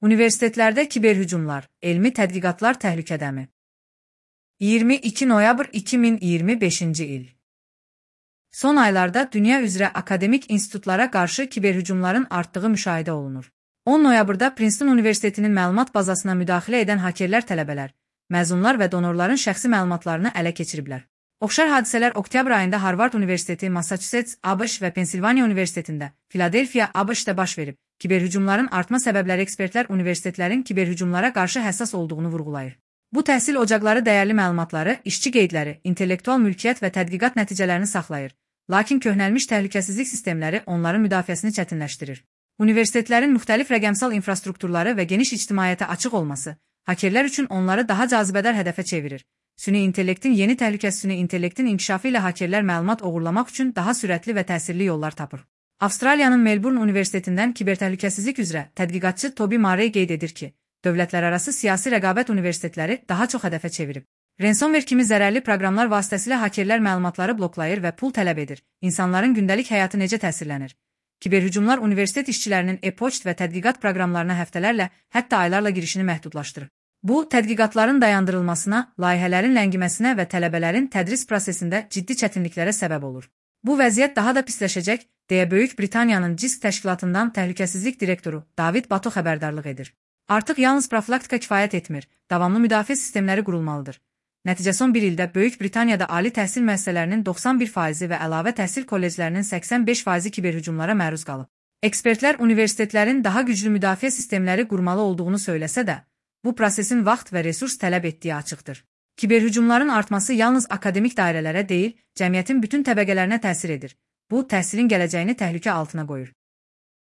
Universitetlərdə kiberhücumlar, elmi tədqiqatlar təhlükədəmi? 22 noyabr 2025-ci il. Son aylarda dünya üzrə akademik institutlara qarşı kiberhücumların artdığı müşahidə olunur. 10 noyabrda Princeton Universitetinin məlumat bazasına müdaxilə edən hakerlər tələbələr, məzunlar və donorların şəxsi məlumatlarını ələ keçiriblər. Oxşar hadisələr oktyabr ayında Harvard Universiteti, Massachusetts, ABŞ və Pensilvaniya Universitetində, Filadelfiya, ABŞ-da baş verib. Kiberhücumların artma səbəbləri ekspertlər universitetlərin kiberhücumlara qarşı həssas olduğunu vurğulayır. Bu təhsil ocaqları dəyərli məlumatları, işçi qeydləri, intellektual mülkiyyət və tədqiqat nəticələrini saxlayır. Lakin köhnəlmiş təhlükəsizlik sistemləri onların müdafiəsini çətinləşdirir. Universitetlərin müxtəlif rəqəmsal infrastrukturları və geniş ictimaiyyətə açıq olması, hakerlər üçün onları daha cazibədar hədəfə çevirir. Süni intellektin yeni təhlükəsi süni intellektin inkişafı ilə hakerlər məlumat oğurlamaq üçün daha sürətli və təsirli yollar tapır. Avstraliyanın Melbourne Universitetindən kibertəhlükəsizlik üzrə tədqiqatçı Toby Murray qeyd edir ki, dövlətlərarası siyasi rəqabət universitetləri daha çox hədəfə çevirib. Ransomware kimi zərərli proqramlar vasitəsilə hakerlər məlumatları bloklayır və pul tələb edir. İnsanların gündəlik həyatı necə təsirlənir? Kiberhücumlar universitet işçilərinin e-poçt və tədqiqat proqramlarına həftələrlə, hətta aylarla girişini məhdudlaşdırır. Bu, tədqiqatların dayandırılmasına, layihələrin ləngiməsinə və tələbələrin tədris prosesində ciddi çətinliklərə səbəb olur. Bu vəziyyət daha da pisləşəcək, deyə Böyük Britaniyanın CISC təşkilatından təhlükəsizlik direktoru David Bato xəbərdarlıq edir. Artıq yalnız profilaktika kifayət etmir, davamlı müdafiə sistemləri qurulmalıdır. Nəticə son bir ildə Böyük Britaniyada ali təhsil müəssisələrinin 91% və əlavə təhsil kolleclərinin 85% kiberhücumlara məruz qalıb. Ekspertlər universitetlərin daha güclü müdafiə sistemləri qurmalı olduğunu söyləsə də, bu prosesin vaxt və resurs tələb etdiyi açıqdır. Kiberhücumların artması yalnız akademik dairələrə deyil, cəmiyyətin bütün təbəqələrinə təsir edir. Bu, təhsilin gələcəyini təhlükə altına qoyur.